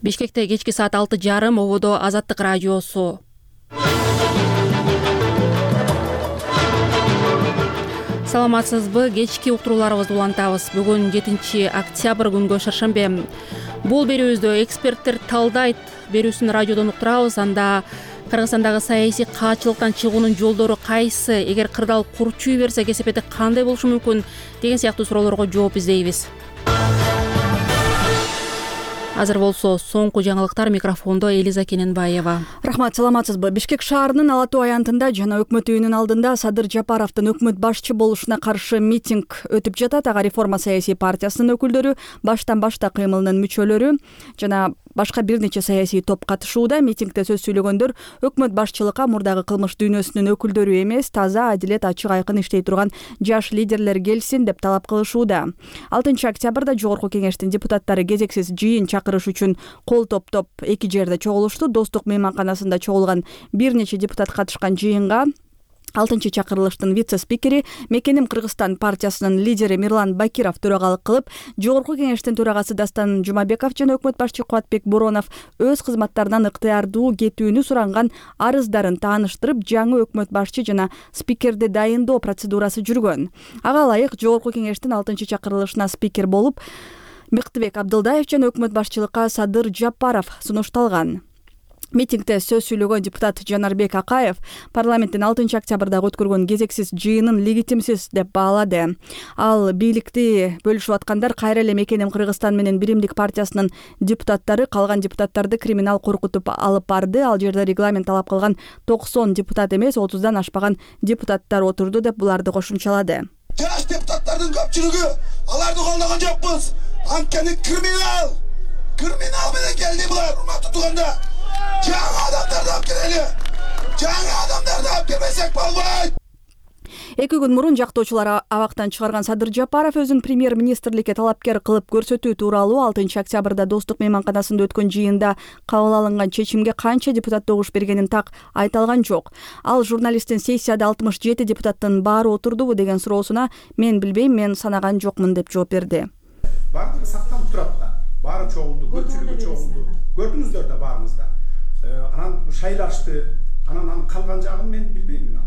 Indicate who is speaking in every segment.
Speaker 1: Бишкекте кечки саат 6:30 ободо Азаттык радиосу. Саламатсызбы? Кечки уктурууларыбызды улантабыз. Бүгүн 7-октябрь күнгө шаршембе. Бул берүүбүздө эксперттер талдайт берүүсүн радиодон уктурабыз. Анда Кыргызстандагы саясий каачылыктан чыгуунун жолдору кайсы, эгер кырдаал курчуй берсе кесепети кандай болушу мүмкүн деген сыяктуу суроолорго жооп издейбиз. Азыр болсо соңку жаңылыктар, микрофондо Элиза Кененбаева.
Speaker 2: Рахмат, саламатсызбы? Бишкек шаарынын Ала Тоо аянтында жана өкмөт үйүнүн алдында Садыр Жапаровдун өкмөт башчы болушуна каршы митинг өтүп жатат. Ага Реформа саясий партиясынын өкүлдөрү, баштан башта кыймылынын мүчөлөрү жана башка бир нече саясий топ катышууда. Митингде сөз сүйлөгөндөр өкмөт башчылыкка мурдагы кылмыш дүйнөсүнүн өкүлдөрү эмес, таза, адилет, ачык, айкын иштей турган жаш лидерлер келсин деп талап кылышууда. 6-октябрда Жогорку кеңештин депутаттары кезексиз жыйын чакырыш үчүн кол топтоп эки жерде чогулушту. Достук мейманканасында чогулган бир нече депутат катышкан жыйынга 6-чакырылыштын вице-спикери, Мекеним Кыргызстан партиясынын лидери Мирлан Бакиров төрагалык кылып, Жогорку кеңештин төрагасы Дастан Жумабеков жана өкмөт башчы Кубатбек Боронов өз кызматтарынан ыктыярдуу кетүүнү суранган арыздарын тааныштырып, жаңы өкмөт башчы жана спикерди дайындоо процедурасы жүргөн. Ага ылайык Жогорку кеңештин 6-чакырылышына спикер болуп Мыктыбек Абдылдаев жана өкмөт башчылыкка Садыр Жапаров сунушталган. Митингде сөз сүйлөгөн депутат Жанарбек Акаев парламенттин 6-октябрдагы өткөргөн кезексиз жыйынын легитимсиз деп баалады. Ал бийликти бөлүшүп аткандар кайра эле Мекеним Кыргызстан менен Биримдик партиясынын депутаттары калган депутаттарды криминал коркутуп алып барды. Ал жерде регламент талап кылган 90 депутат эмес, 30дан ашпаган депутаттар отурду деп буларды кошумчалады.
Speaker 3: Жаш депутаттардын көпчүлүгү аларды колдогон жокпуз. Анткени криминал менен келди булар, урматтуу туугандар. Жаңы адамдарды алып келели. Жаңы адамдарды алып келбесек болбойт.
Speaker 2: 2 күн мурун жактоочулар абактан чыгарган Садыр Жапаров өзүн премьер-министрликке талапкер кылып көрсөтүү тууралуу 6-октябрда Достук мейманканасында өткөн жыйында кабыл алынган чечимге канча депутат добуш бергенин так айта алган жок. Ал журналисттин сессияда 67 депутаттын баары отурдубу деген суроосуна мен билбейм, мен санаган жокмун деп жооп берди.
Speaker 4: Баардыгы сакталып турат да. Баары чогулду, көпчүлүгү чогулду. Көрдүңүздөр да баарыңызда. Анан шайлашты. Анан калган жагын мен билбейм.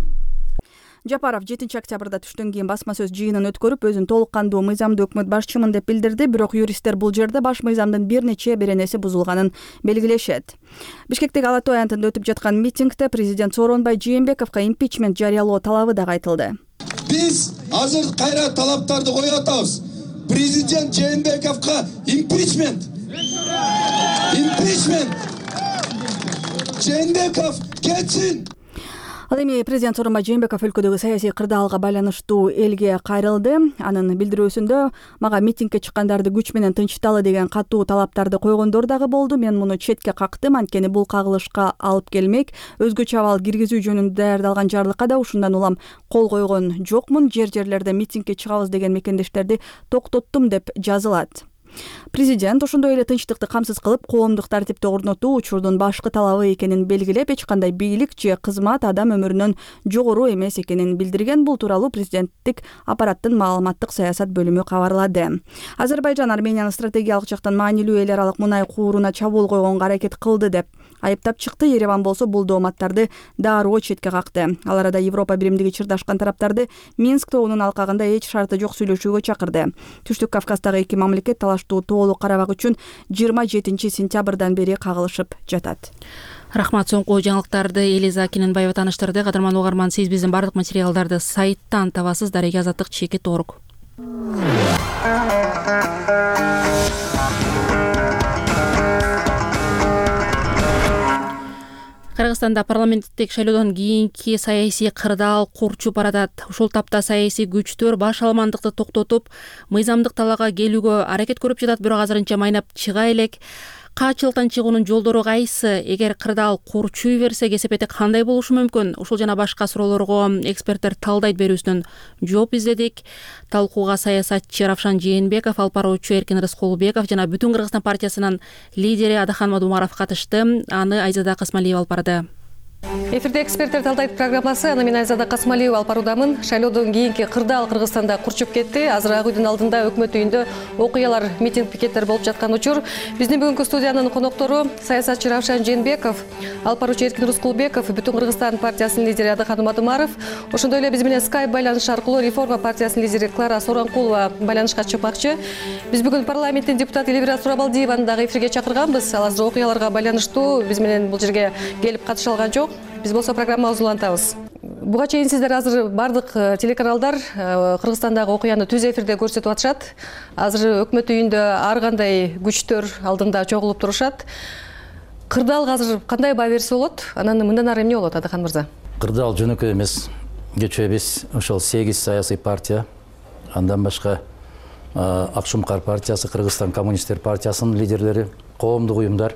Speaker 2: Жапаров 7-октябрда түштөн кийин басма сөз жыйынын өткөрүп, өзүн толук кандуу мыйзамдуу өкмөт башчымын деп билдирди. Бирок юристтер бул жерде баш мыйзамдын бир нече беренеси бузулганын белгилешет. Бишкектеги Ала Тоо аянтында өтүп жаткан митингде президент Сооронбай Жээнбековго импичмент жарыялоо талабы дагы айтылды.
Speaker 3: Биз азыр кайра талаптарды коюп атабыз. Президент Жээнбековго импичмент. Жээнбеков кетсин.
Speaker 2: Ал эми президент Сооронбай Жээнбеков өлкөдөгү саясий кырдаалга байланыштуу элге кайрылды. Анын билдирүүсүндө мага митингге чыккандарды күч менен тынчталы деген катуу талаптарды койгондор дагы болду. Мен муну четке кактым, анткени бул кагылышка алып келмек. Өзгөчө абал киргизүү жөнүндө даярдалган жарлыкка да ушундан улам кол койгон жокмун. Жерлерде митингге чыгабыз деген мекендештерди токтоттум деп жазылат. Президент ошондой эле тынчтыкты камсыз кылып, коомдук тартипти орнотуу учурдун башкы талабы экенин белгилеп, эч кандай бийлик же кызмат адам өмүрүнөн жогору эмес экенин билдирген. Бул тууралуу президенттик аппараттын маалыматтык саясат бөлүмү кабарлады. Азербайжан Арменияны стратегиялык жактан маанилүү эл аралык мунай кууруна чабуул койгонго аракет кылды деп айыптап чыкты. Ереван болсо бул дооматтарды дароо четке какты. Ал арада Европа биримдиги чырдашкан тараптарды Минск тоонун алкагында эч шарты жок сүйлөшүүгө чакырды. Түштүк Кавказдагы эки мамлекет талаштуу тоолук карабак үчүн 27-сентябрдан бери кагылышып жатат.
Speaker 1: Рахмат, соңку жаңылыктарды Элиза Кененбаева тааныштырды. Кадырман угарман, сиз биздин бардык материалдарды сайттан табасыз. Дареги Азаттык.org. Кыргызстанда парламенттик шайлоодон кийинки саясий кырдаал курчуп баратат. Ушул тапта саясий күчтөр баш аламандыкты токтотуп, мыйзамдык талаага келүүгө аракет көрүп жатат, бирок азырынча майнап чыга элек. Каачылыктан чыгуунун жолдору кайсы, эгер кырдаал курчуй берсе кесепети кандай болушу мүмкүн? Ушул жана башка суроолорго эксперттер талдайт берүүсүнөн жооп издедик. Талкууга саясатчы Равшан Жээнбеков, алып баруучу Эркин Рыскулбеков жана Бүтүн Кыргызстан партиясынын лидери Адахан Мадумаров катышты. Аны Айзада Касмалиева алып барды.
Speaker 5: Эфирде эксперттер талдайт программасы. Аны мен Айзада Касмалиева алып баруудамын. Шайлоодон кийинки кырдаал Кыргызстанда курчуп кетти. Азыр Ак үйдүн алдында өкмөт үйүндө окуялар, митинг, пикеттер болуп жаткан учур. Биздин бүгүнкү студиянын коноктору саясатчы Равшан Жээнбеков, алып баруучу Эркин Рыскулбеков, Бүтүн Кыргызстан партиясынын лидери Адыкан Уматумаров. Ошондой эле биз менен Skype байланыш аркылуу Реформа партиясынын лидери Клара Соронкулова байланышка чыкмакчы. Биз бүгүн парламенттин депутаты Элвира Сурабалдиеваны дагы эфирге чакырганбыз. Ал азыр окуяларга байланыштуу биз менен бул жерге келип катыша алган жок. Биз болсо программабызды улантабыз. Буга чейин сиздер азыр бардык телеканалдар Кыргызстандагы окуяны түз эфирде көрсөтүп атышат. Азыр өкмөт үйүндө ар кандай күчтөр алдында чогулуп турушат. Кырдаалга азыр кандай баа берсе болот? Анан мындан ары эмне болот, Адыкан мырза?
Speaker 6: Кырдаал жөнөкөй эмес. Кечээ биз ошол 8 саясий партия, андан башка Акшумкар партиясы, Кыргызстан коммунисттер партиясынын лидерлери, коомдук уюмдар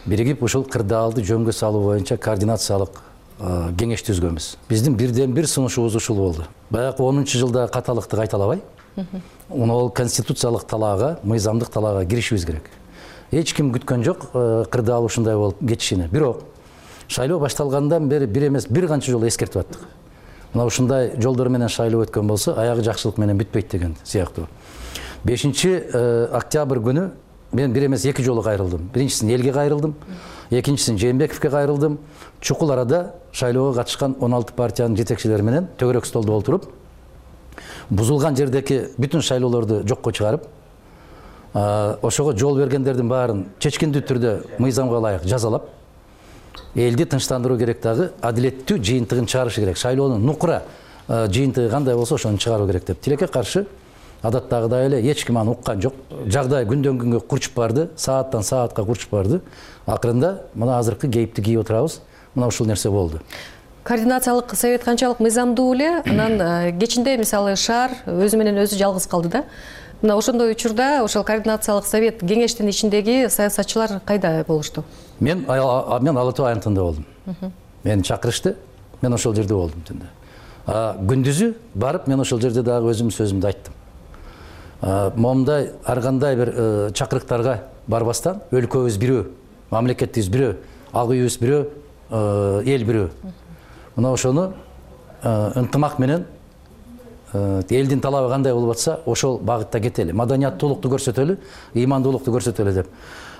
Speaker 6: биригип ушул кырдаалды жөнгө салуу боюнча координациялык кеңеш түзгөнбүз. Биздин бирден бир сунушубуз ушул болду. Баягы 10-жылда каталыкты кайталабай, ол конституциялык талаага, мыйзамдык талаага киришибиз керек. Эч ким күткөн жок кырдаал ушундай болуп кетишини. Бирок шайлоо башталгандан бери бир эмес бир канча жолу эскертип аттык. Мына ушундай жолдор менен шайлоо өткөн болсо, аягы жакшылык менен бүтпөйт деген сыяктуу. 5-октябрь күнү мен бир эмес 2 жолу кайрылдым. Биринчисин элге кайрылдым, экинчисин Жээнбековке кайрылдым. Чукул арада шайлоого катышкан 16 партиянын жетекчилери менен төгөрөк столдо олтуруп, бузулган жердеги бүтүн шайлоолорду жокко чыгарып, ошого жол бергендердин баарын чечкиндүү түрдө мыйзамга ылайык жазалап, элди тынчтандыруу керек, дагы адилеттүү жыйынтыгын чыгарыш керек. Шайлоонун нукура жыйынтыгы кандай болсо ошону чыгаруу керек деп. Тилекке каршы адаттагыдай эле эч ким аны уккан жок. Жагдай күндөн күнгө курчуп барды, сааттан саатка курчуп барды. Акырында мына азыркы кейипти кийип отурабыз. Мына ушул нерсе болду.
Speaker 5: Координациялык совет канчалык мыйзамдуу эле, анан кечинде мисалы шаар өзү менен өзү жалгыз калды да. Мына ошондой учурда ошол координациялык совет кеңештин ичиндеги саясатчылар кайда болушту? Мен
Speaker 6: Ала Тоо аянтында болдум. Мени чакырышты, мен ошол жерде болдум түндө. Күндүзү барып мен ошол жерде дагы өзүмдүн сөзүмдү айттым. Момундай ар кандай бир чакырыктарга барбастан өлкөбүз бирөө, мамлекетибиз бирөө, ак үйүбүз бирөө, эл бирөө. Мына ошону ынтымак менен элдин талабы кандай болуп атса, ошол багытта кетели. Маданияттуулукту көрсөтөлү, ыймандуулукту көрсөтөлү деп.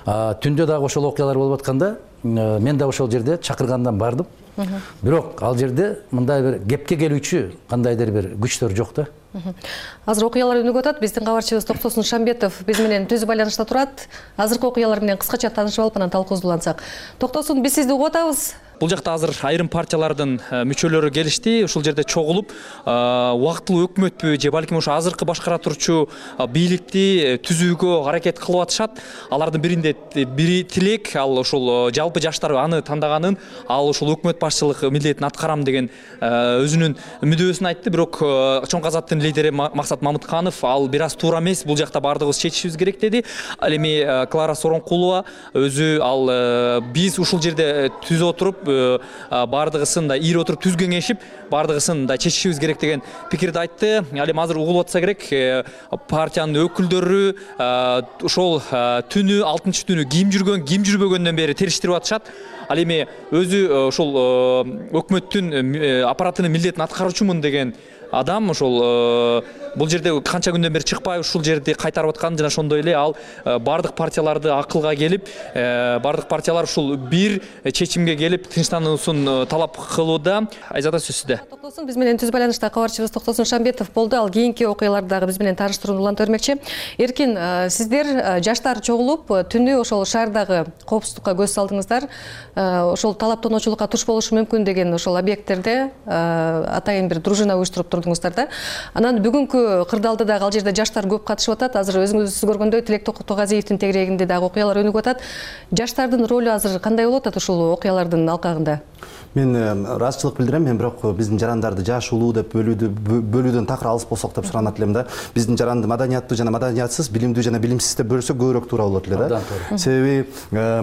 Speaker 6: Түндө дагы ошол окуялар болуп атканда, мен да ошол жерде чакыргандан бардым. Бирок ал жерде мындай бир кепке келүүчү кандайдыр бир күчтөр жок да.
Speaker 5: Азыр окуялар өнүгүп атат. Биздин кабарчыбыз Токтосун Шамбетов биз менен түз байланышта турат. Азыркы окуялар менен кыскача таанышып алып, анан талкуубузду улантсак. Токтосун, биз сизди угуп атабыз.
Speaker 7: Бул жакта азыр айрым партиялардын мүчөлөрү келишти. Ушул жерде чогулуп, убактылуу өкмөтпү же балким ошо азыркы башкара турчу бийликти түзүүгө аракет кылып атышат. Алардын бири тилек, ал ушул жалпы жаштар аны тандаганын, ал ушул өкмөт башчылык милдетин аткарам деген өзүнүн мүдөөсүн айтты. Бирок чоң казаттын лидери Максат Мамытканов ал бир аз туура эмес, бул жакта бардыгыбыз чечишибиз керек деди. Ал эми Клара Соронкулова өзү ал биз ушул жерде түзө отуруп, бардыгысын да ийип отуруп түз кеңешип, бардыгысын да чечишибиз керек деген пикирди айтты. Ал эми азыр угулуп атса керек, партиянын өкүлдөрү ошол түнү 6-түнү ким жүргөн, ким жүрбөгөндөн бери териштирип атышат. Ал эми өзү ошол өкмөттүн аппаратынын милдетин аткаруучумун деген адам ошол бул жерде канча күндөн бери чыкпай ушул жерди кайтарып аткан, жана ошондой эле ал бардык партияларды акылга келип, бардык партиялар ушул бир чечимге келип тынчтануусун талап кылууда. Айзада, сөз сизде.
Speaker 5: Токтосун, биз менен түз байланышта кабарчыбыз Токтосун Шамбетов болду. Ал кийинки окуяларды дагы биз менен тааныштырууну уланта бермекчи. Эркин, сиздер жаштар чогулуп түнү ошол шаардагы коопсуздукка көз салдыңыздар. Ошол талаптануучулукка туш болушу мүмкүн деген ошол объекттерде атайын бир дружина уюштуруп турдуңуздар да. Анан бүгүнкү кырдаалда дагы ал жерде жаштар көп катышып атат. Азыр өзүңүз көргөндөй Тилек Токотогазиевдин тегерегинде дагы окуялар өнүгүп атат. Жаштардын ролу азыр кандай болуп атат ушул окуялардын алкагында?
Speaker 8: Мен ыраазычылык билдирем. Мен бирок биздин жарандарды жаш улуу деп бөлүүдөн такыр алыс болсок деп суранат элем да. Биздин жаранды маданияттуу жана маданиятсыз, билимдүү жана билимсиз деп бөлсөк көбүрөөк туура болот эле да. Себеби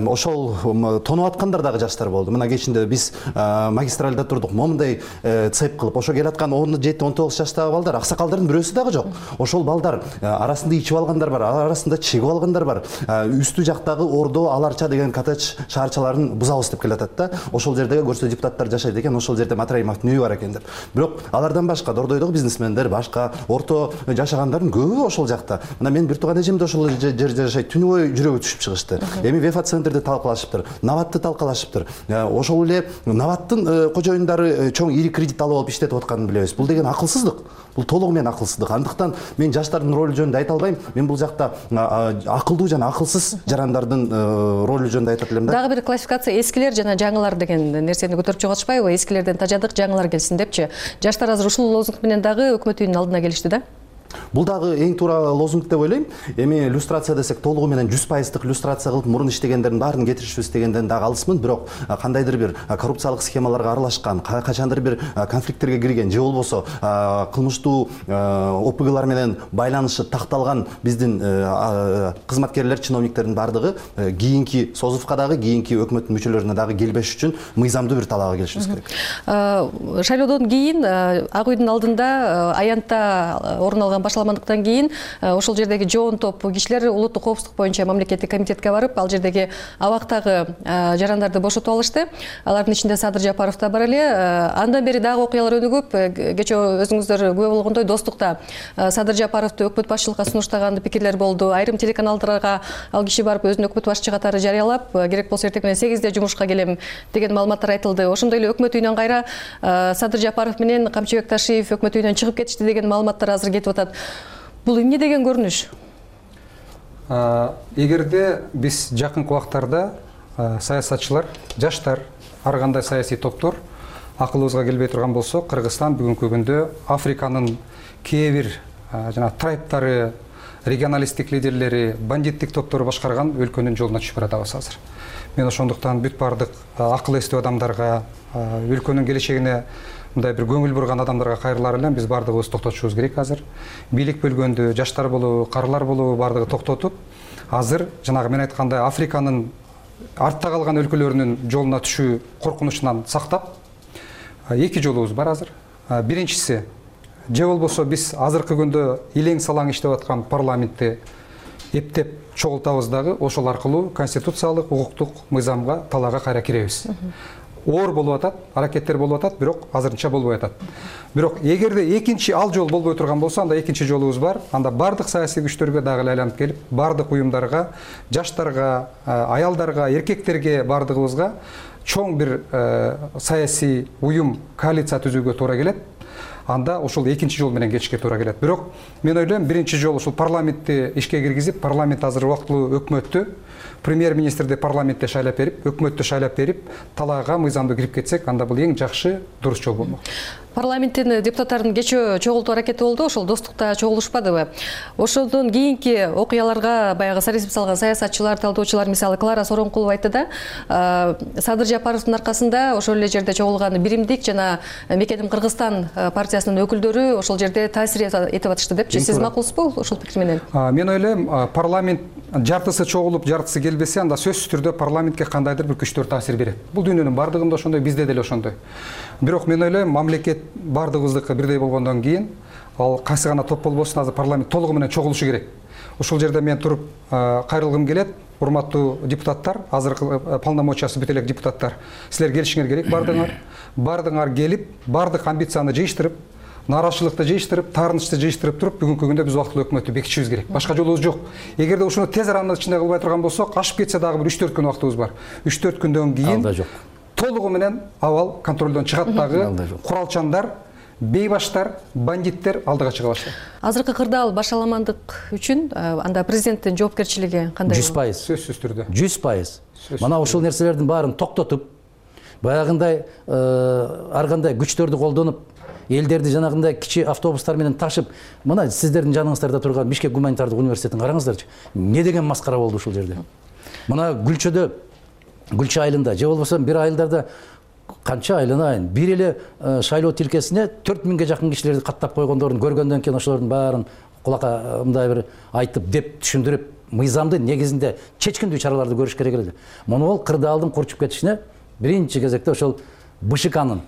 Speaker 8: ошол тонуп аткандар дагы жаштар болду. Мына кечинде биз магистральда турдук. Момундай цеп кылып ошо келаткан 17-19 жаштагы балдар, аксакалдардын бирөөсү нерсе дагы жок. Ошол балдар арасында ичип алгандар бар, арасында чегип алгандар бар. Үстү жактагы Ордо, Аларча деген коттедж шаарчаларын бузабыз деп келатат да. Ошол жердеги көрсө депутаттар жашайт экен, ошол жерде Матраимовдун үйү бар экен деп. Бирок алардан башка Дордойдогу бизнесмендер, башка орто жашагандардын көбү ошол жакта. Мына мен бир тууган эжем да ошол жерде жашайт. Түнү бою жүрөгү түшүп чыгышты. Эми Вефа центрде талкалашыптыр, Наватты талкалашыптыр. Ошол эле Наваттын кожоюндары чоң ири кредит алып иштетип атканын билебиз. Бул деген акылсыздык. Бул толугу менен акылсыздык. Андыктан мен жаштардын ролу жөнүндө айта албайм. Мен бул жакта акылдуу жана акылсыз жарандардын ролу жөнүндө айтат элем да.
Speaker 5: Дагы бир классификация эскилер жана жаңылар деген нерсени көтөрүп чыгып атышпайбы? Эскилерден тажадык, жаңылар келсин депчи. Жаштар азыр ушул лозунг менен дагы өкмөт үйүнүн алдына келишти да.
Speaker 8: Бул дагы эң туура лозунг деп ойлойм. Эми люстрация десек толугу менен 100% люстрация кылып мурун иштегендердин баарын кетиришибиз дегенден дагы алысмын, бирок кандайдыр бир коррупциялык схемаларга аралашкан, качандыр бир конфликттерге кирген же болбосо кылмыштуу ОПГлар менен байланышы такталган биздин кызматкерлер, чиновниктердин баардыгы кийинки созувка дагы, кийинки өкмөттүн мүчөлөрүнө дагы келбеш үчүн мыйзамдуу бир талаага келишибиз керек.
Speaker 5: Шайлоодон кийин Ак үйдүн алдында аянтта орун алган башаламандыктан кийин ошол жердеги жоон топ кишилер улуттук коопсуздук боюнча мамлекеттик комитетке барып, ал жердеги абактагы жарандарды бошотуп алышты. Алардын ичинде Садыр Жапаров да бар эле. Андан бери дагы окуялар өнүгүп, кечээ өзүңүздөр күбө болгондой Достукта Садыр Жапаровду өкмөт башчылыкка сунуштаган пикирлер болду. Айрым телеканалдарга ал киши барып өзүн өкмөт башчы катары жарыялап, керек болсо эртең менен 8-де жумушка келем деген маалыматтар айтылды. Ошондой эле өкмөт үйүнөн кайра Садыр Жапаров менен Камчыбек Ташиев өкмөт үйүнөн чыгып кетишти деген маалыматтар азыр кетип атат. Бул эмне деген көрүнүш?
Speaker 9: Эгерде биз жакынкы убактарда саясатчылар, жаштар, ар кандай саясий топтор акылыбызга келбей турган болсо, Кыргызстан бүгүнкү күндө Африканын кээ бир жана трайптары, регионалисттик лидерлери, бандиттик топтору башкарган өлкөнүн жолуна түшүп баратабыз азыр. Мен ошондуктан бүт баардык акыл эстүү адамдарга, өлкөнүн келечегине мындай бир көңүл бурган адамдарга кайрылар элем, биз баардыгыбыз токтотушубуз керек азыр. Бийлик бөлгөндү, жаштар болобу, карылар болобу баардыгы токтотуп, азыр жанагы мен айткандай Африканын артта калган өлкөлөрүнүн жолуна түшүү коркунучунан сактап, эки жолубуз бар азыр. Биринчиси, же болбосо биз азыркы күндө илең салаң иштеп аткан парламентти эптеп чогултабыз дагы, ошол аркылуу конституциялык, укуктук мыйзамга, талаага кайра киребиз. Оор болуп атат, аракеттер болуп атат, бирок азырынча болбой атат. Бирок эгерде экинчи ал жол болбой турган болсо, анда экинчи жолубуз бар. Анда бардык саясий күчтөргө дагы айланып келип, бардык уюмдарга, жаштарга, аялдарга, эркектерге бардыгыбызга чоң бир саясий уюм, коалиция түзүүгө туура келет. Анда ошол экинчи жол менен кетишке туура келет. Бирок мен ойлойм, биринчи жол ушул парламентти ишке киргизип, парламент азыр убактылуу өкмөттү, премьер-министрди парламентте шайлап берип, өкмөттү шайлап берип, талаага мыйзамдуу кирип кетсек, анда бул эң жакшы, дурус жол болмок.
Speaker 5: Парламенттин депутаттарын кечээ чогултуу аракети болду, ошол Достукта чогулушпадыбы? Ошондон кийинки окуяларга баягы сарезип салган саясатчылар, талдоочулар, мисалы Клара Соронкулова айтты да, Садыр Жапаровдун аркасында ошол эле жерде чогулган Биримдик жана Мекеним Кыргызстан партиясынын өкүлдөрү ошол жерде таасир этип атышты депчи. Сиз макулсузбу ошол пикир менен? Мен
Speaker 9: ойлойм, парламент жартысы чогулуп, жартысы келбесе, анда сөзсүз түрдө парламентке кандайдыр бир күчтөр таасир берет. Бул дүйнөнүн бардыгында ошондой, бизде деле ошондой. Бирок мен ойлойм, мамлекет бардыгыбыздыкы бирдей болгондон кийин, ал кайсы гана топ болбосун, азыр парламент толугу менен чогулушу керек. Ошол жерде мен туруп кайрылгым келет, урматтуу депутаттар, азыркы полномочиясы бүт элек депутаттар. Силер келишиңер керек бардыгыңар. Бардыгыңар келип, бардык амбицияны жыйыштырып, нааразычылыкты жыйыштырып, таарынычты жыйыштырып туруп, бүгүнкү күндө биз убактылуу өкмөттү бекитишибиз керек. Башка жолубуз жок. Эгерде ушуну тез аранын ичинде кылбай турган болсок, ашып кетсе дагы бир 3-4 күн убактыбыз бар. 3-4 күндөн кийин толугу менен абал контролдон чыгат дагы, куралчандар, бейбаштар, бандиттер алдыга чыга баштайт.
Speaker 5: Азыркы кырдаал башаламандык үчүн анда президенттин жоопкерчилиги кандай?
Speaker 9: 100%. Сөзсүз түрдө.
Speaker 6: 100%. Мына ушул нерселердин баарын токтотуп, баягындай ар кандай күчтөрдү колдонуп, элдерди жанагындай кичи автобустар менен ташып, мына сиздердин жаныңыздарда турган Бишкек гуманитардык университетин караңыздарчы. Не деген маскара болду ушул жерде. Мына Гүлчөдө, Гүлчө айылында, же болбосо бир айылдарда канча айланайын, бир эле шайлоо тилкесине 4000ге жакын кишилерди каттап койгондорун көргөндөн кийин ошолордун баарын кулакка мындай бир айтып деп түшүндүрүп, мыйзамды негизинде чечкиндүү чараларды көрүш керек эле. Муну бол кырдаалдын курчуп кетишине биринчи кезекте ошол БШКнын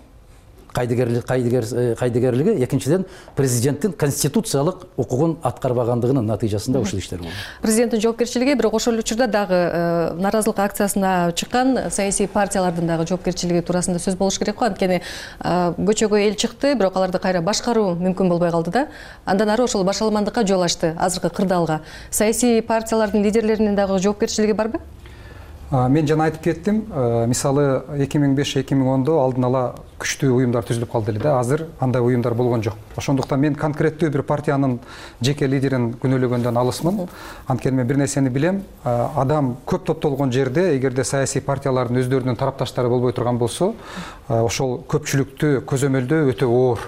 Speaker 6: кайдыгерлиги, экинчиден президенттин конституциялык укугун аткарбагандыгынын натыйжасында ушул иштер болду.
Speaker 5: Президенттин жоопкерчилиги, бирок ошол учурда дагы нааразылык акциясына чыккан саясий партиялардын дагы жоопкерчилиги туурасында сөз болуш керек го. Анткени көчөгө эл чыкты, бирок аларды кайра башкаруу мүмкүн болбой калды да. Андан ары ошол башаламандыкка жол ачты азыркы кырдаалга. Саясий партиялардын лидерлеринин дагы жоопкерчилиги барбы?
Speaker 9: Мен жана айтып кеттим, мисалы 2005-2010 алдын ала күчтүү уюмдар түзүлүп калды эле да. Азыр андай уюмдар болгон жок. Ошондуктан мен конкреттүү бир партиянын жеке лидерин күнөөлөгөндөн алысмын. Анткени мен бир нерсени билем, адам көп топтолгон жерде, эгерде саясий партиялардын өздөрүнүн тарапташтары болбой турган болсо, ошол көпчүлүктү көзөмөлдөө өтө оор.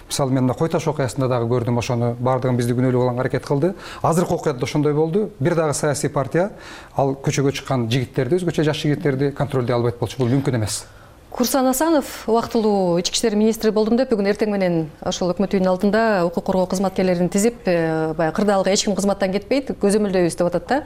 Speaker 9: Мисалы мен Кой Таш окуясында дагы көрдүм, ошону бардыгын бизди күнөөлөп алганга аракет кылды. Азыркы окуяда ошондой болду. Бир дагы саясий партия ал көчөгө чыккан жигиттерди, өзгөчө жаш жигиттерди контролдой албайт болчу. Бул мүмкүн эмес.
Speaker 5: Курсан Асанов убактылуу ички иштер министри болдум деп, бүгүн эртең менен ошол өкмөт үйүнүн алдында укук коргоо кызматкерлерин тизип, баягы кырдаалга эч ким кызматтан кетпейт, көзөмөлдөйбүз деп атат да.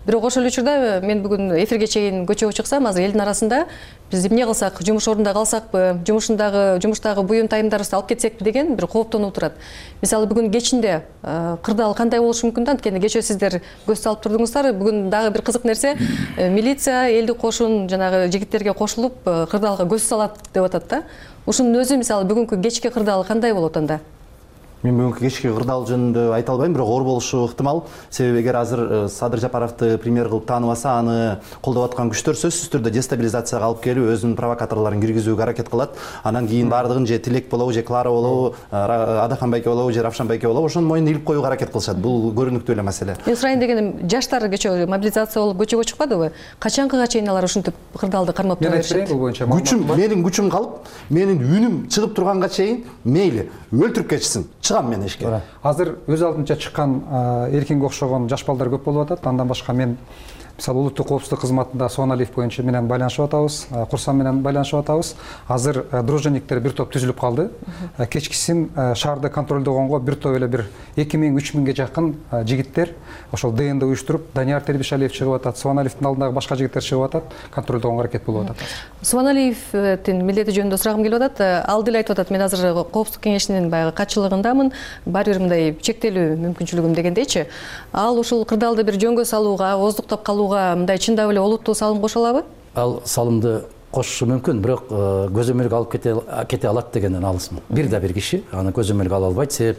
Speaker 5: Бирок ошол учурда мен бүгүн эфирге чейин көчөгө чыксам, азыр элдин арасында биз эмне кылсак, жумуш ордунда калсакпы, жумуштагы буюм тайымдарыбызды алып кетсекпи деген бир кооптонуп турат. Мисалы бүгүн кечинде кырдаал кандай болушу мүмкүн да? Анткени кечээ сиздер көз салып турдуңуздар. Бүгүн дагы бир кызык нерсе, милиция элдик кошун жанагы жигиттерге кошулуп кырдаалга көз салат деп атат да. Ушунун өзү мисалы бүгүнкү кечки кырдаал кандай болот анда?
Speaker 8: Мен бүгүнкү кечки кырдаал жөнүндө айта албайм, бирок оор болушу ыктымал. Себеби эгер азыр Садыр Жапаровду премьер кылып тааныбаса, аны колдоп аткан күчтөр сөзсүз түрдө дестабилизацияга алып келип, өзүнүн провокаторлорун киргизүүгө аракет кылат. Анан кийин бардыгын же Тилек болобу, же Клара болобу, Адакан байке болобу, же Равшан байке болобу, ошонун мойнуна илип коюуга аракет кылышат. Бул көрүнүктүү эле маселе.
Speaker 5: Мен сурайын дегеним, жаштар кечээ мобилизация болуп көчөгө чыкпадыбы? Качанкыга чейин алар ушинтип кырдаалды кармап тура беришет?
Speaker 9: Бул боюнча
Speaker 8: менин күчүм калып, менин үнүм чыгып турганга чейин мейли өлтүрүп кетишсин. Чыгам мен эшикке.
Speaker 9: Азыр өз алдынча чыккан эркинге окшогон жаш балдар көп болуп атат. Андан башка мен мисалы улуттук коопсуздук кызматында Суаналиев боюнча менен байланышып атабыз, Курсан менен байланышып атабыз. Азыр дружинниктер бир топ түзүлүп калды. Кечкисин шаарды контролдогонго бир топ эле бир 2000-3000ге жакын жигиттер ошол ДНД уюштуруп, Данияр Тербишалиев чыгып атат, Суаналиевдин алдындагы башка жигиттер чыгып атат, контролдогонго аракет болуп атат.
Speaker 5: Суаналиевдин милдети жөнүндө сурагым келип атат. Ал деле айтып атат, мен азыр коопсуздук кеңешинин баягы катчылыгындамын, бар бир мындай чектелүү мүмкүнчүлүгүм дегендейчи. Ал ушул кырдаалды бир жөнгө салууга, ооздуктап калууга мындай чындап эле олуттуу салым кошо алабы?
Speaker 6: Ал салымды кошушу мүмкүн, бирок көзөмөлгө алып кете алат дегенден алысмын. Бир да бир киши аны көзөмөлгө ала албайт. Себеп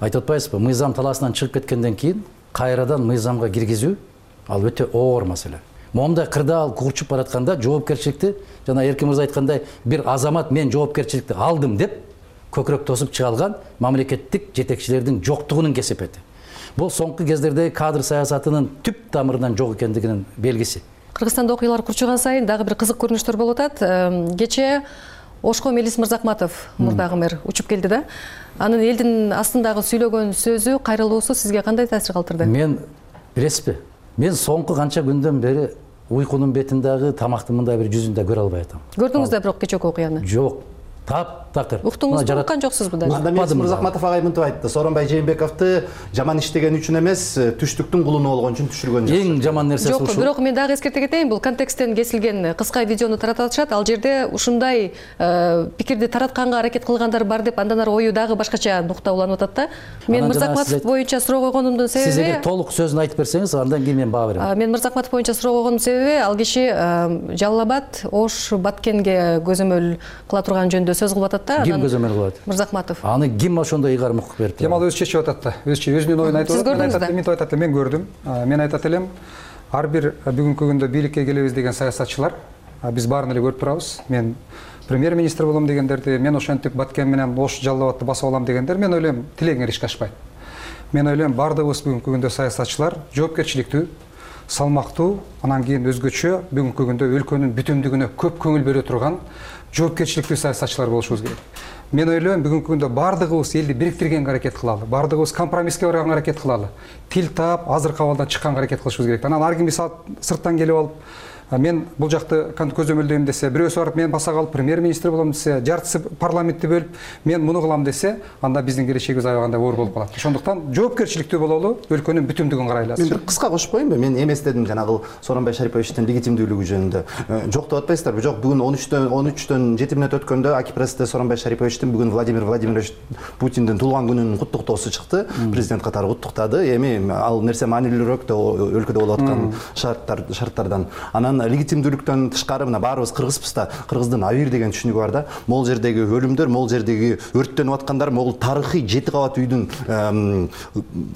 Speaker 6: айтып атпайсызбы, мыйзам талаасынан чыгып кеткенден кийин кайрадан мыйзамга киргизүү ал өтө оор маселе. Момундай кырдаал курчуп баратканда жоопкерчиликти, жана Эркин мырза айткандай, бир азамат мен жоопкерчиликти алдым деп көкүрөк тосуп чыга алган мамлекеттик жетекчилердин жоктугунун кесепети. Бул соңку кездердеги кадр саясатынын түп тамырынан жок экендигинин белгиси.
Speaker 5: Кыргызстанда окуялар курчуган сайын дагы бир кызык көрүнүштөр болуп атат. Кечээ Ошко Мелис Мырзакматов, мурдагы мэр, учуп келди да. Анын элдин астындагы сүйлөгөн сөзү, кайрылуусу сизге кандай таасир калтырды?
Speaker 6: Мен билесизби? Мен соңку канча күндөн бери уйкунун бетиндагы тамактын мындай бир жүзүн да көрө албай атам.
Speaker 5: Көрдүңүз да бирок кечээки окуяны?
Speaker 6: Жок. Таптакыр.
Speaker 5: Уктуңузбу, уккан жоксузбу да?
Speaker 8: Анда Мелис Мырзакматов агай мынтип айтты. Сооронбай Жээнбековду жаман иштеген үчүн эмес, түштүктүн кулуну болгон үчүн түшүргөн жок.
Speaker 6: Эң жаман нерсеси ушул.
Speaker 5: Жок, бирок мен дагы эскерте кетейин, бул контексттен кесилген кыска видеону таратып атышат. Ал жерде ушундай пикирди таратканга аракет кылгандар бар деп, андан ары ою дагы башкача нукта уланып атат да. Мен Мырзакматов боюнча суроо койгонумдун себеби,
Speaker 6: сиз эгер толук сөзүн айтып берсеңиз, андан кийин мен баа берем.
Speaker 5: Мен Мырзакматов боюнча суроо койгонумдун себеби, ал киши Жалал Абад, Ош, Баткенге көзөмөл кыла турган жөнүндө сөз кылып атат да.
Speaker 6: Ким көзөмөл кылат?
Speaker 5: Мырзакматов.
Speaker 6: Аны ким ошондой ыйгарым укук берип турат?
Speaker 9: Кемал өзү чечип атат да. Өзүнүн оюн айтып атат. Мен айтат элем, мен көрдүм. Мен айтат элем, ар бир бүгүнкү күндө бийликке келебиз деген саясатчылар биз баарын эле көрүп турабыз. Мен премьер министр болом дегендерди, мен ошентип Баткен менен Ош Жалал Абадты басып алам дегендер, мен ойлойм тилегиңер ишке ашпайт. Мен ойлойм баардыгыбыз бүгүнкү күндө саясатчылар жоопкерчиликтүү, салмактуу, анан кийин өзгөчө бүгүнкү күндө өлкөнүн бүтүндүгүнө көп көңүл бере турган жоопкерчиликтүү саясатчылар болушубуз керек. Мен ойлойм бүгүнкү күндө баардыгыбыз элди бириктиргенге аракет кылалы, баардыгыбыз компромисске барганга аракет кылалы, тил таап, азыр кабалдан чыкканга аракет кылышыбыз керек. Анан ар ким сырттан келип алып мен бул жакты көзөмөлдөйм десе, бирөөсү барып мен баса калып премьер-министр болом десе, жартысы парламентти бөлүп мен муну кылам десе, анда биздин келечегибиз аябагандай оор болуп калат. Ошондуктан жоопкерчиликтүү бололу, өлкөнүн бүтүндүгүн карайлы.
Speaker 8: Мен бир кыска кошуп коеюнбу? Мен эместедим жанагы Сооронбай Шариповичтин легитимдүүлүгү жөнүндө. Жок деп атпайсыздарбы? Жок, бүгүн 13төн 7 мүнөт өткөндө Акипрессте Сооронбай Шариповичтин бүгүн Владимир Владимирович Путиндин туулган күнүнүн куттуктоосу чыкты. Президент катары куттуктады. Эми ал нерсе маанилүүрөөк да өлкөдө болуп аткан шарттардан. Анан легитимдүүлүктөн тышкары мына баарыбыз кыргызбыз да, кыргыздын Авир деген түшүнүгү бар да. Могул жердеги өлүмдөр, могул жердеги өрттөнүп аткандар, могул тарыхый 7 кабат үйдүн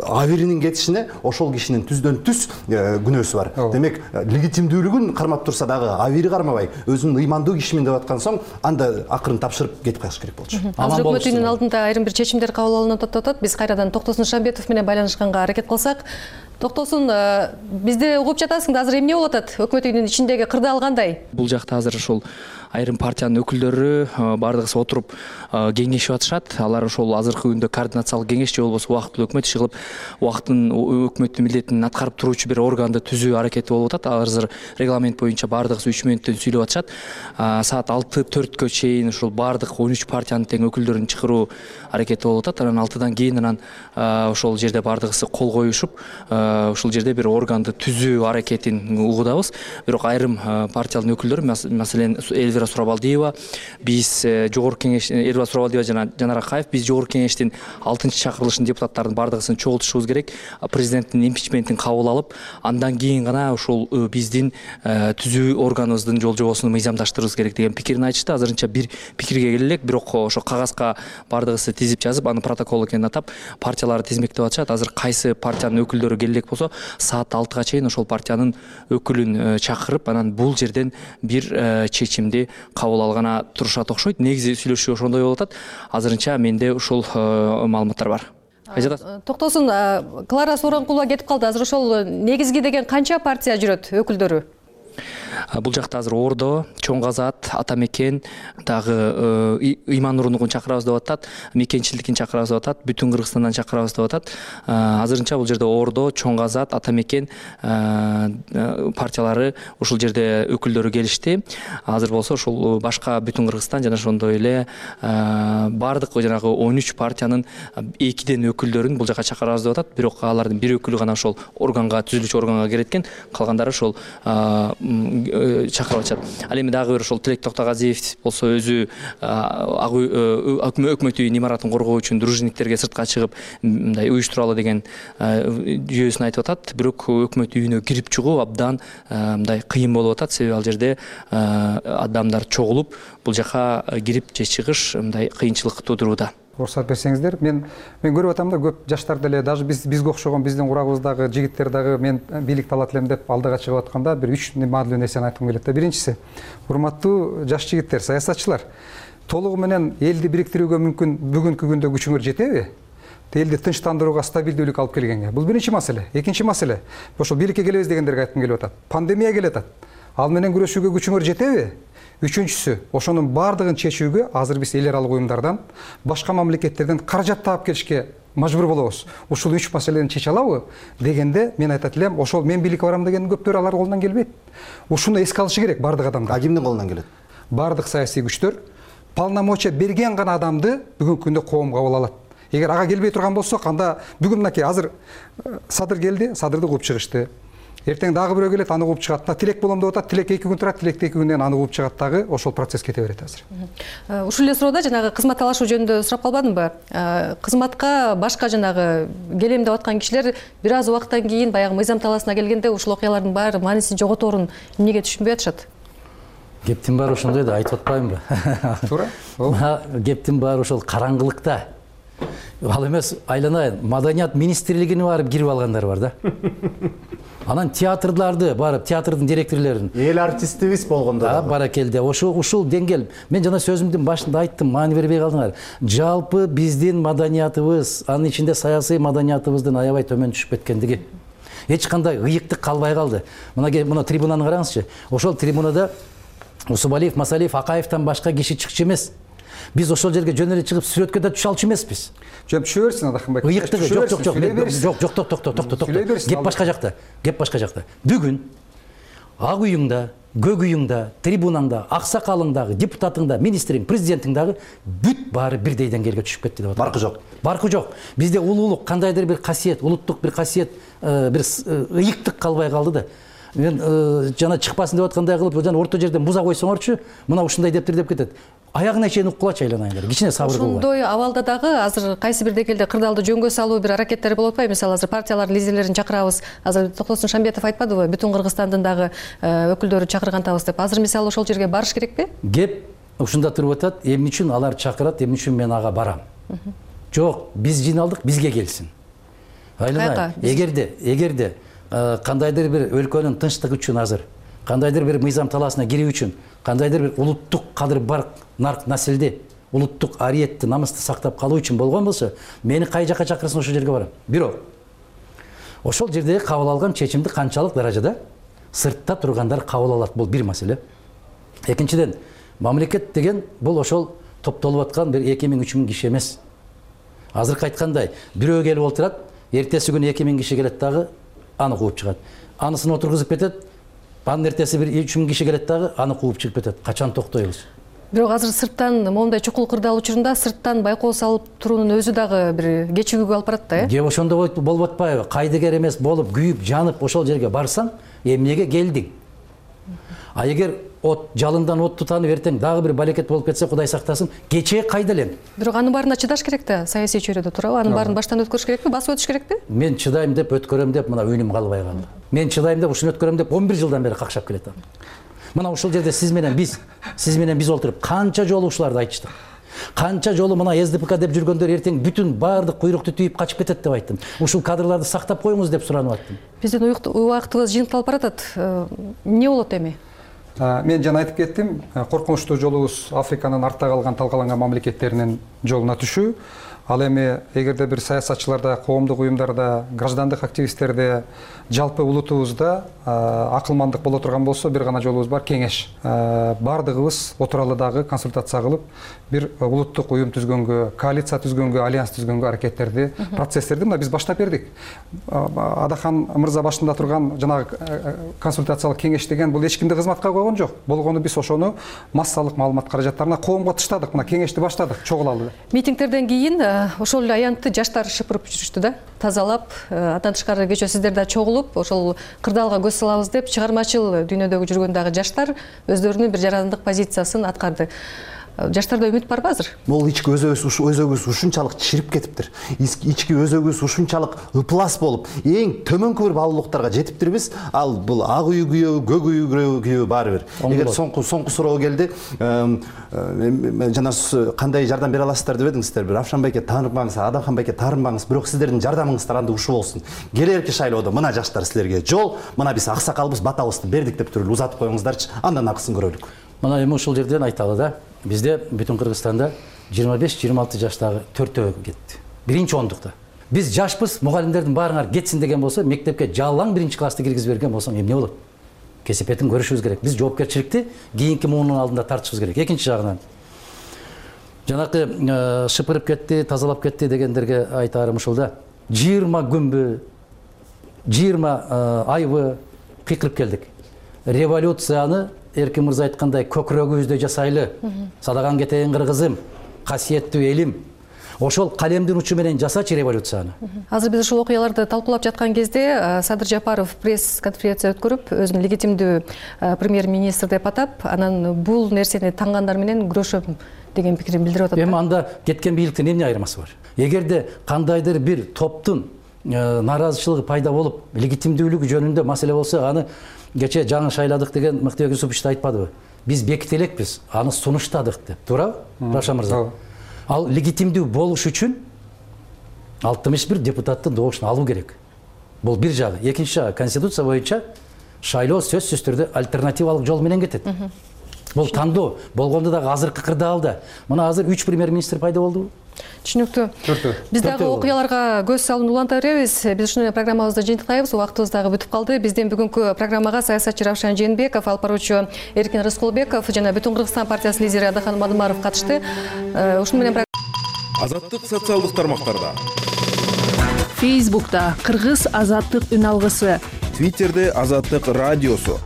Speaker 8: Авиринин кетишине ошол кишинин түздөн түз күнөөсү бар. Демек, легитимдүүлүгүн кармап турса дагы Авири кармабай, өзүнүн ыймандуу кишимин деп аткан соң, анда акырын тапшырып кетип калыш керек болчу.
Speaker 5: Азыр өкмөтүнүн алдында айрым бир чечимдер кабыл алынып атат. Биз кайрадан Токтосун Шамбетов менен байланышканга аракет кылсак. Токтосун, бизди угуп жатасың да, азыр эмне болуп атат? Өкмөт үйүнүн ичиндеги кырдаал кандай?
Speaker 7: Бул жакта азыр ошол айрым партиянын өкүлдөрү бардыгысы отуруп кеңешип атышат. Алар ошол азыркы күндө координациялык кеңеш же болбосо убактылуу өкмөт иши кылып, өкмөттүн милдетин аткарып туруучу бир органды түзүү аракети болуп атат. Азыр регламент боюнча бардыгысы 3 мүнөттөн сүйлөп атышат. Саат 6:04 чейин ошол бардык 13 партиянын тең өкүлдөрүн чакыруу аракети болуп атат. Анан 6-дан кийин ошол жерде бардыгысы кол коюшуп, ошол жерде бир органды түзүү аракетин угудабыз. Бирок айрым партиялардын өкүлдөрү, маселен Эльвира Сурабалдиева, биз жогорку кеңеш, Эльвира Сурабалдиева жана Жанар Акаев, биз жогорку кеңештин 6-чакырылышын депутаттардын бардыгысын чогултушубуз керек. Президенттин импичментин кабыл алып, андан кийин гана ошол биздин түзүү органыбыздын жолжобосун мыйзамдаштырыбыз керек деген пикирин айтышты. Азырынча бир пикирге келе элек, бирок ошо кагазга бардыгысы тизип жазып, аны протокол экенин атап, партияларды тизмектеп атышат. Азыр кайсы партиянын өкүлдөрү келе элек болсо, саат 6-га чейин ошол партиянын өкүлүн чакырып, анан бул жерден бир чечимди кабыл алгана турушат окшойт. Негизи сүйлөшүү ошондой болуп атат. Азырынча менде ушул маалыматтар бар.
Speaker 5: Токтосун, Клара Сооронкулова кетип калды. Азыр ошол негизги деген канча партия жүрөт өкүлдөрү?
Speaker 7: Бул жакта азыр Ордо, Чоң Казат, Ата Мекен, дагы Ыйман Нурундукун чакырабыз деп атат, Мекенчилдикин чакырабыз деп атат, Бүтүн Кыргызстандан чакырабыз деп атат. Азырынча бул жерде Ордо, Чоң Казат, Ата Мекен партиялары ушул жерде өкүлдөрү келишти. Азыр болсо ушул башка Бүтүн Кыргызстан жана ошондой эле бардык жанагы 13 партиянын 2ден өкүлдөрүн бул жака чакырабыз деп атат. Бирок алардын бир өкүлү гана ошол органга, түзүлүүчү органга кирет экен, калгандары ошол чакырып атышат. Ал эми дагы бир ошол Тилек Токтогазиев болсо өзү өкмөт үйүнүн имаратын коргоо үчүн дружинниктерге сыртка чыгып мындай уюштуралы деген жүйөсүн айтып атат. Бирок өкмөт үйүнө кирип чыгуу абдан мындай кыйын болуп атат. Себеби ал жерде адамдар чогулуп, бул жака кирип же чыгыш мындай кыйынчылык туудурууда.
Speaker 9: Уруксат берсеңиздер, мен көрүп атам да, көп жаштар деле, даже бизге окшогон биздин курагыбыздагы жигиттер дагы мен бийликти алат элем деп алдыга чыгып атканда бир 3 маанилүү нерсени айткым келет да. Биринчиси, урматтуу жаш жигиттер, саясатчылар, толугу менен элди бириктирүүгө мүмкүн бүгүнкү күндө күчүңөр жетеби? Элди тынчтандырууга, стабилдүүлүк алып келгенге. Бул биринчи маселе. Экинчи маселе, ошол бийликке келебиз дегендерге айткым келип атат. Пандемия келет атат. Ал менен күрөшүүгө күчүңөр жетеби? Үчүнчүсү, ошонун бардыгын чечүүгө азыр биз эл аралык уюмдардан, башка мамлекеттерден каражат таап келишке мажбур болобуз. Ушул 3 маселени чече алабы дегенде мен айтат элем, ошол мен бийликке барам деген көптөр алар колунан келбейт. Ушуну эске алышы керек бардык адамдар.
Speaker 8: Кимдин колунан келет?
Speaker 9: Бардык саясий күчтөр полномочия берген гана адамды бүгүнкү күндө коом кабыл алат. Эгер ага келбей турган болсок, анда бүгүн мынакей азыр Садыр келди, Садырды кууп чыгышты. Эртең дагы бирөө келет, аны кууп чыгат. Тилек болом деп атат, Тилек 2 күн турат, Тилек 2 күндөн аны кууп чыгат дагы, ошол процесс кете берет азыр.
Speaker 5: Ушул эле суроода жанагы кызмат талашуу жөнүндө сурап калбадымбы? Кызматка башка жанагы келем деп аткан кишилер бир аз убакыттан кийин баягы мыйзам талаасына келгенде ушул окуялардын баары маанисин жоготорун эмнеге түшүнбөй атышат?
Speaker 6: Кептин баары ошондой да, айтып атпаймынбы?
Speaker 9: Туура.
Speaker 6: Кептин баары ошол караңгылыкта. Ал эмес, айланайын, Маданият министрлигине барып кирип алгандар бар да. Анан театрларды барып, театрдын директорлорун,
Speaker 8: эл артистибиз болгондо
Speaker 6: баракелде. Ушул деңгел. Мен жана сөзүмдүн башында айттым, маани бербей калдыңар. Жалпы биздин маданиятыбыз, анын ичинде саясий маданиятыбыздын аябай төмөн түшүп кеткендиги. Эч кандай ыйыктык калбай калды. Мына трибунаны караңызчы. Ошол трибунада Усубалиев, Масалиев, Акаевтан башка киши чыкчу эмес. Биз ошол жерге жөн эле чыгып сүрөткө да түшө алчу эмеспиз.
Speaker 9: Жөн түшө берсин Адахмбек.
Speaker 6: Ыйыктыгы жок. Кеп башка жакта. Бүгүн ак үйүңда, көк үйүңда, трибунаңда, аксакалыңдагы, депутатыңда, министриң, президентиң дагы бүт баары бирдей деңгээлге түшүп кетти деп атат.
Speaker 8: Баркы жок.
Speaker 6: Баркы жок. Бизде улуулук кандайдыр бир касиет, улуттук бир касиет, бир ыйыктык калбай калды да. Мен жана чыкпасын деп аткандай кылып, жана орто жерден буза койсоңорчу, мына ушундай дептир деп кетет. Аягына чейин уккулачы айланайындар. Кичине сабыр кылгыла.
Speaker 5: Ошондой абалда дагы азыр кайсы бир дегелде кырдаалды жөнгө салуу бир аракеттери болуп атпайбы? Мисалы азыр партиялардын лидерлерин чакырабыз. Азыр Токтосун Шамбетов айтпадыбы? Бүтүн Кыргызстандын дагы өкүлдөрү чакыргантабыз деп. Азыр мисалы ошол жерге барыш керекпи?
Speaker 6: Кеп ушунда туруп атат. Эмне үчүн алар чакырат, эмне үчүн мен ага барам? Жок, биз жыйналдык, бизге келсин. Айланай, эгерде кандайдыр бир өлкөнүн тынчтыгы үчүн азыр, кандайдыр бир мыйзам талаасына кирүү үчүн, кандайдыр бир улуттук кадыр бар нарк населди, улуттук ариетти, намысты сактап калуу үчүн болгон болсо, мени кай жака чакырсын ошол жерге барам. Бирок ошол жердеги кабыл алган чечимди канчалык даражада сыртта тургандар кабыл алат, бул бир маселе. Экинчиден, мамлекет деген бул ошол топтолуп аткан бир 2000-3000 киши эмес. Азыркы айткандай, бирөө келип отурат, эртеси күнү 2000 киши келет дагы аны кууп чыгат. Анысын отургузуп кетет, анын эртеси бир 3000 киши келет дагы аны кууп чыгып кетет. Качан токтойбуз?
Speaker 5: Бирок азыр сырттан моундай чукул кырдаал учурунда сырттан байкоо салып туруунун өзү дагы бир кечигүүгө алып барат да,
Speaker 6: Же ошондо болуп атпайбы? Кайдыгер эмес болуп, күйүп, жанып ошол жерге барсаң, эмнеге келдиң? А эгер от жалындан от тутанып эртең дагы бир балекет болуп кетсе, Кудай сактасын, кечээ кайда элем?
Speaker 5: Бирок анын баарына чыдаш керек да, саясий чөйрөдө туурабы? Анын баарын баштан өткөрүш керекпи? Басып өтүш керекпи?
Speaker 6: Мен чыдайм деп, өткөрөм деп, мына үнүм калбай калды. Мен чыдайм деп, ушуну өткөрөм деп 11 жылдан бери какшап келатам. Мына ушул жерде сиз менен биз олтуруп канча жолу ушуларды айтыштык. Канча жолу мына СДПК деп жүргөндөр эртең бүтүн баардык куйрукту түйүп качып кетет деп айттым. Ушул кадрларды сактап коюңуз деп суранып аттым.
Speaker 5: Биздин убактыбыз жыйынтылып баратат. Эмне болот эми?
Speaker 9: Мен жана айтып кеттим, коркунучтуу жолубуз Африканын артта калган талкаланган мамлекеттеринин жолуна түшүү. Ал эми эгерде бир саясатчыларда, коомдук уюмдарда, граждандык активисттерде, жалпы улутубузда акылмандык боло турган болсо, бир гана жолубуз бар, кеңеш. Бардыгыбыз отуралы дагы консультация кылып, бир улуттук уюм түзгөнгө, коалиция түзгөнгө, альянс түзгөнгө аракеттерди, процесстерди мына биз баштап бердик. Адахан мырза башында турган жанагы консультациялык кеңеш деген бул эч кимди кызматка койгон жок. Болгону биз ошону массалык маалымат каражаттарына коомго таштадык. Мына кеңешти баштадык, чогулалы.
Speaker 5: Митингтерден кийин ошол эле аянтты жаштар шыпырып жүрүштү да, тазалап, андан тышкары кечээ сиздер да чогулуп, ошол кырдаалга көз салабыз деп чыгармачыл дүйнөдөгү жүргөн дагы жаштар өздөрүнүн бир жарандык позициясын аткарды. Жаштарда үмүт барбы азыр?
Speaker 8: Бул ички өзөгүбүз ушунчалык чирип кетиптир. Ички өзөгүбүз ушунчалык ыплас болуп, эң төмөнкү бир баалуулуктарга жетиптирбиз. Ал бул ак үй күйөө, көк үй күйөө баары бир. Эгер соңку суроо келди, жана кандай жардам бере аласыздар деп едиңиздер. Бир Афшан байке тааныбаңыз, Адахан байке таарынбаңыз, бирок сиздердин жардамыңыздар анда ушул болсун. Келерки шайлоодо мына жаштар силерге жол, мына биз аксакалбыз, батабызды бердик деп туруп узатып коюңуздарчы, андан акысын көрөлүк.
Speaker 6: Мына эми ушул жерден айталы да. Бизде бүтүн Кыргызстанда 25-26 жаштагы 4-өө кетти. Биринчи ондукта. Биз жашпыз, мугалимдердин баарыңар кетсин деген болсо, мектепке жалаң 1-классты киргизип берген болсоң эмне болот? Кесепетин көрүшүбүз керек. Биз жоопкерчиликти кийинки муунун алдында тартышыбыз керек. Экинчи жагынан жанакы шыпырып кетти, тазалап кетти дегендерге айтарым ушул да. 20 күнбү, 20 айбы кыйкырып келдик. Революцияны Эркин мырза айткандай көкүрөгүбүздө жасайлы. Садаган кетейин кыргызым, касиеттүү элим. Ошол калемдин учу менен жасачы революцияны.
Speaker 5: Азыр биз ушул окуяларды талкуулап жаткан кезде Садыр Жапаров пресс-конференция өткөрүп, өзүн легитимдүү премьер-министр деп атап, анан бул нерсени таңгандар менен күрөшөм деген пикирин билдирип атат.
Speaker 6: Эми анда кеткен бийликтин эмне айырмасы бар? Эгерде кандайдыр бир топтун нааразычылыгы пайда болуп, легитимдүүлүгү жөнүндө маселе болсо, аны кечээ жаңы шайладык деген Мыктыбек Юсупович айтпадыбы? Биз беките элекпиз, аны сунуштадык деп. Туурабы? Равшан мырза. Ал легитимдүү болуш үчүн 61 депутаттын добушун алуу керек. Бул бир жагы. Экинчи жагы, конституция боюнча шайлоо сөзсүз түрдө альтернативалык жол менен кетет. Бул тандоо болгондо дагы азыркы кырдаалда. Мына азыр 3 премьер-министр пайда болдубу?
Speaker 5: Түшүнүктүү. Биз дагы окуяларга көз салууну уланта беребиз. Биз ушуну жыйынтыктайбыз. Убактыбыз дагы бүтүп калды. Биздин бүгүнкү программага саясатчы Равшан Жээнбеков, алып баруучу Эркин Рыскулбеков жана Бүтүн Кыргызстан партиясынын лидери Адахан Мадымаров катышты. Ушуну менен
Speaker 10: Азаттык социалдык тармактарда.
Speaker 11: Фейсбукта Кыргыз Азаттык үн алгысы.
Speaker 10: Твиттерде Азаттык радиосу.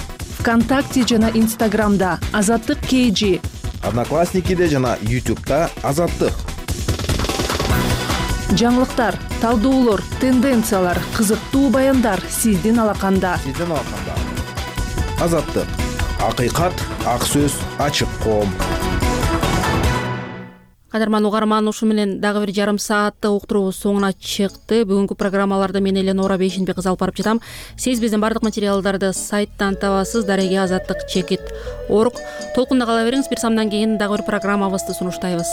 Speaker 11: ВКонтакте жана Инстаграмда Азаттык KG,
Speaker 10: Одноклассникиде жана YouTube'да Азаттык.
Speaker 11: жаңылыктар, талдоолор, тенденциялар, кызыктуу баяндар сиздин алаканда.
Speaker 10: Азаттык. Акыйкат, ак сөз, ачык коом.
Speaker 1: Кадырман угарман, ушу менен дагы бир жарым сааттык уктуруубуз соңуна чыкты. Бүгүнкү программаларды мен Эленора Бейшенбек кызы алып барып жатам. Сиз биздин бардык материалдарды сайттан табасыз. Дареге Азаттык _org. Толкунда кала бериңиз. Бир самдан кийин дагы бир программабызды сунуштайбыз.